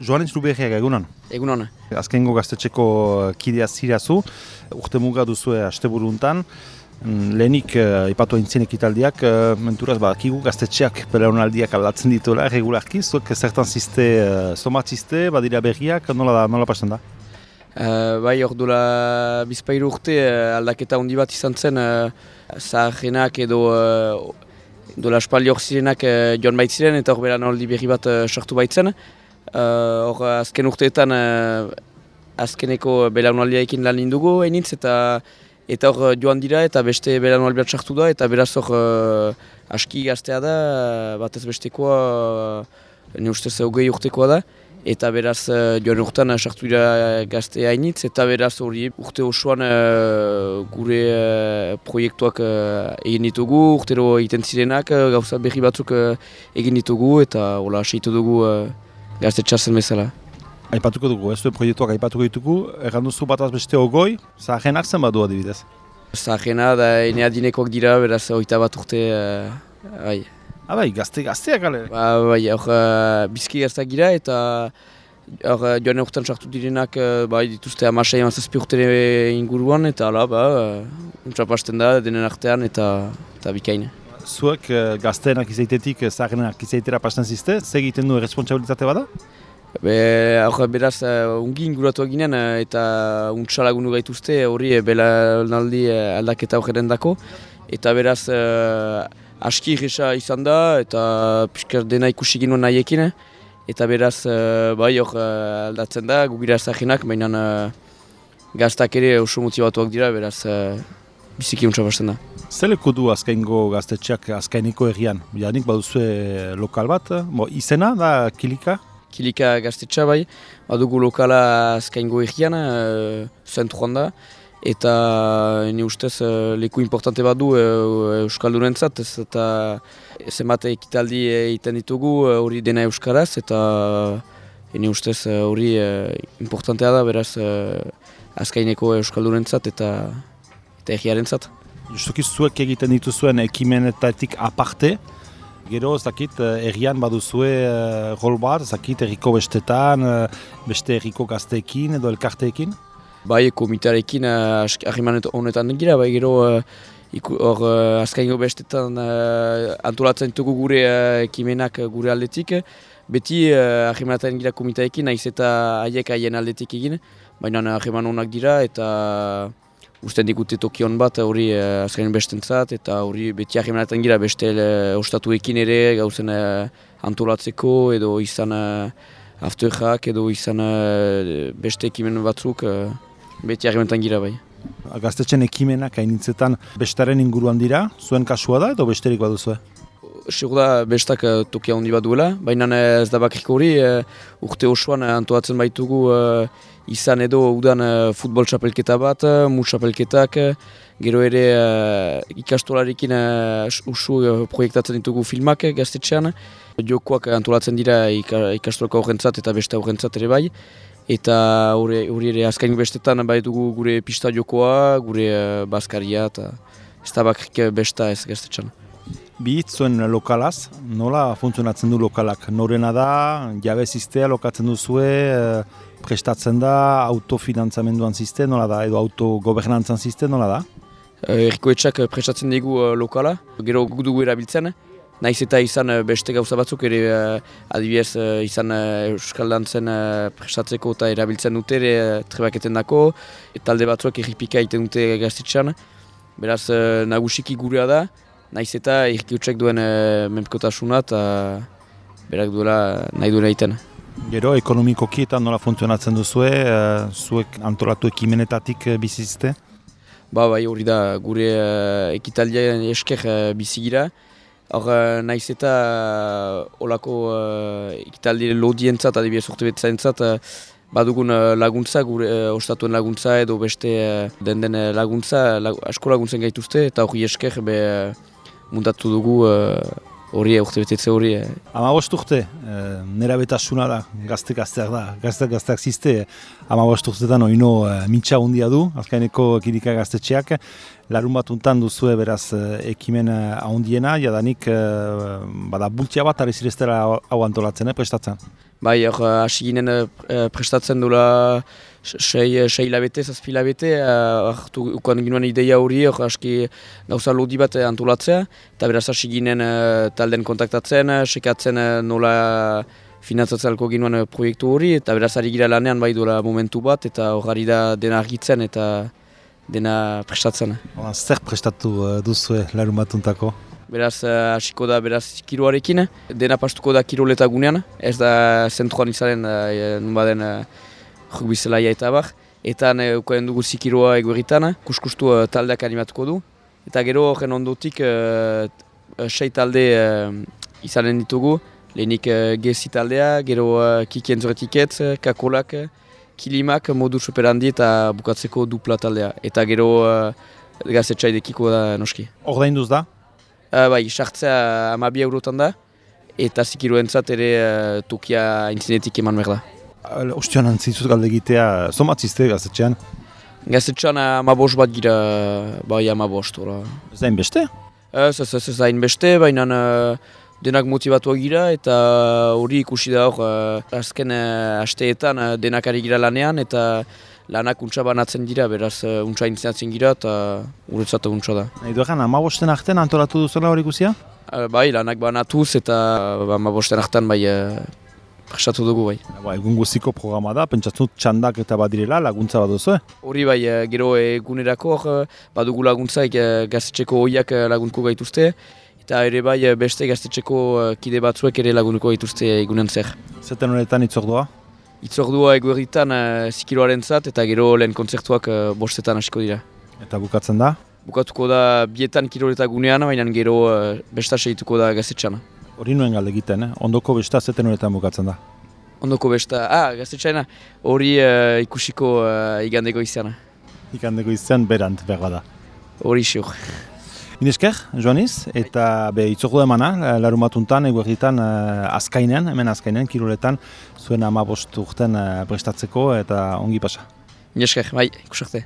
Joanes Luberriak egunon. Egunon. Azkengo gaztetxeko kidea zirazu, urte muga duzue asteburu hontan. Lehenik aipatu aintzien ekitaldiak, menturaz badakigu gaztetxeak belaunaldiak aldatzen dituela, regularki, zuek zertan ziste, somatziste, badira berriak, nola pasten da? Bai, hor duela bizpairu urte aldaketa handi bat izan zen, zaharrenak edo dola espaldi hor zirenak joan baitziren eta hor belaunaldi berri bat sortu baitzen. Hor azken urteetan azkeneko belaunaldiaekin lan indugu hainitz eta hor joan dira eta beste belaunaldi bat sartu da eta beraz hor aski gaztea da, batez bestekoa, ne ustez 20 urtekoa da. Eta beraz joan urtean sartu dira gazte hainitz eta beraz hori urte osoan gure proiektuak egin ditugu, urtero egiten zirenak, gauza berri batzuk egin ditugu eta hola seitu dugu gaztetxea zen bezala. Aipatuko dugu, ez du proiektuak aipatuko ditugu, erran duzu bataz beste 20, zaharrenak zen badu adibidez? Zaharrena da ene adinekoak dira, beraz 21 urte, bai. Bai, gazteak gale? Bai, hor bizki gazteak gira eta hor joan urtean sartu direnak bai dituzte 16-17 urte inguruan eta hala, untsapasten da denen artean eta bikain. Zuek gazteenak izaitetik zaharrenak izaitera pasten ziste, ze egiten du responsabilitate bada? Beraz, ungi inguratuak ginen eta untsalagunu gaituzte hori belaunaldi aldaketa horren dako. Eta beraz, aski irresa izan da eta pixkar dena ikusi ginen nahiekin. Eta beraz, bai hor aldatzen da, gugira zaharrenak, baina gaztak ere oso motibatuak dira, beraz, biziki untsapasten da. Zer leku du azkaingo gaztetxeak azkaineko herrian? Janik baduzue lokal bat, izena da Kilika? Kilika gaztetxa bai, badugu lokala azkaingo herrian, zentruan da, eta ne ustez leku importante bat du Euskaldurentzat, eta zenbat ekitaldi egiten ditugu hori dena Euskaraz, eta ne ustez hori importantea da, beraz azkaineko Euskaldurentzat eta herriarentzat. Justuki zuek egiten dituzuen ekimenetatik aparte, gero ez dakit herrian baduzue rol bat, ez dakit herriko bestetan, beste herriko gazteekin edo elkarteekin? Bai, komitarekin harriman honetan gira, bai gero hor azkaingo bestetan antolatzen ditugu gure ekimenak gure aldetik. Beti harrimanetan gira komitarekin, nahiz eta haiek haien aldetik egin, baina harriman honak dira eta usten digute tokion bat hori azkain bestentzat eta hori beti harrimanetan gira beste ostatuekin ere gauzen antolatzeko edo izan afterjak edo izan beste ekimen batzuk beti harrimanetan gira bai. Gaztetxen ekimenak hainitzetan bestaren inguruan dira, zuen kasua da edo besterik baduzue? Segur da bestak tokia handi bat duela, baina ez da bakriko hori urte osoan antolatzen baitugu izan edo udan futbol txapelketa bat, mus txapelketak, gero ere ikastolarekin usu proiektatzen ditugu filmak gaztetxean. Jokoak antolatzen dira ikastolako horrentzat eta beste horrentzat ere bai. Eta hori ere azkain bestetan baitugu gure pista jokoa, gure bazkaria eta ez da bakrik besta ez gaztetxean. Bihitz zuen lokalaz, nola funtzionatzen du lokalak? Norena da, jabez iztea lokatzen duzue, prestatzen da, autofinantzamenduan ziste, nola da, edo autogobernantzan ziste, nola da? Herrikoetxak prestatzen dugu lokala, gero guk dugu erabiltzen, nahiz eta izan beste gauza batzuk, ere adibidez izan Euskaldantzen prestatzeko eta erabiltzen dute, trebaketen dako, talde batzuak erripika egiten dute gaztetxean, beraz nagusiki gurea da, nahiz eta irkiutsek duen menpekotasuna eta berak duela nahi duela egiten. Gero, ekonomikoki eta nola funtzionatzen duzue, zuek antolatu ekimenetatik bizizte? Bai, hori da gure ekitaldian esker bizigira. Hor nahiz eta olako ekitaldi lodientzat, adibidez urte betzaentzat, badugun laguntza, gure ostatuen laguntza edo beste den laguntza, asko laguntzen gaituzte eta hori esker muntatu dugu hori urte betetze hori. 15 urte, nera betasuna da, gazteak da, gazteak ziste, 15 urtetan oino mitxa hundia du, azkaineko Kilika gaztetxeak, larun bat untan duzue beraz ekimen ahondiena, jadanik bada bultia bat ari zireztera hau antolatzen, prestatzen? Bai, hor hasi ginen prestatzen dula 6 hilabete, 7 hilabete, ukan ginen ideia hori, hor aski gauza lodi bat antolatzea, eta beraz hasi ginen talden kontaktatzen, sekatzen nola finantzatzen alko ginen proiektu hori, eta beraz ari gira lanean bai dola momentu bat, eta hor ari da dena argitzen eta dena prestatzen. Zer prestatu duzue larun batuntako? Beraz, hasiko da beraz kiroarekin, dena pastuko da kiroleta gunean, ez da zentroan izanen nunbaden rugby zelaia eta bar. Eta ukaen dugu zikiroa egueritan, kuskustu taldeak animatuko du. Eta gero horren ondotik 6 talde izanen ditugu, lehenik gezi taldea, gero kikien zoretiketz, kakolak, kilimak, modu superhandi eta bukatzeko dupla taldea. Eta gero gazetxaidekiko da noski. Ordainduz da? Bai, sartzea 12 eurotan da, eta zikiroentzat ere tokia intzinetik eman behar da. Ostion antzizuz galde egitea, somatzizte gazetxean? Gazetxean 15 bat gira, bai 15. Ez da inbeste? Ez da inbeste, baina denak motivatuak gira, eta hori ikusi da hor, azken asteetan denak ari gira lanean, eta lanak untsa banatzen dira, beraz untsa intzineatzen gira, eta guretzat untsa da. Nahi duegan, 15 artean antolatu duzuela hori guzia? Bai, lanak banatuz, eta 15 artean bai prestatu dugu bai. Egun guziko programa da, pentsatzen txandak eta badirela laguntza bat duzu? Hori bai, gero egunerako badugu laguntza gaztetxeko oiak lagunko gaituzte, eta ere bai beste gaztetxeko kide batzuek ere lagunko gaituzte egunen zer. Zeten horretan itzordua? Itzordua eguerditan zikiroaren zat, eta gero lehen kontzertuak bostetan hasiko dira. Eta bukatzen da? Bukatuko da 2 kiroleta gunean, baina gero besta segituko da gaztetxana. Hori nuen galde egiten, ondoko besta zeten horretan bukatzen da? Ondoko besta, gaztetxaina, hori ikusiko igandeko izana. Igandeko izan berant behar da. Hori xur. Inesker, Joaniz, eta itzordu emana, larun batuntan, eguerditan azkainean, hemen azkainean, kiroletan, zuen 15 urten prestatzeko eta ongi pasa. Inesker, bai, ikusarte.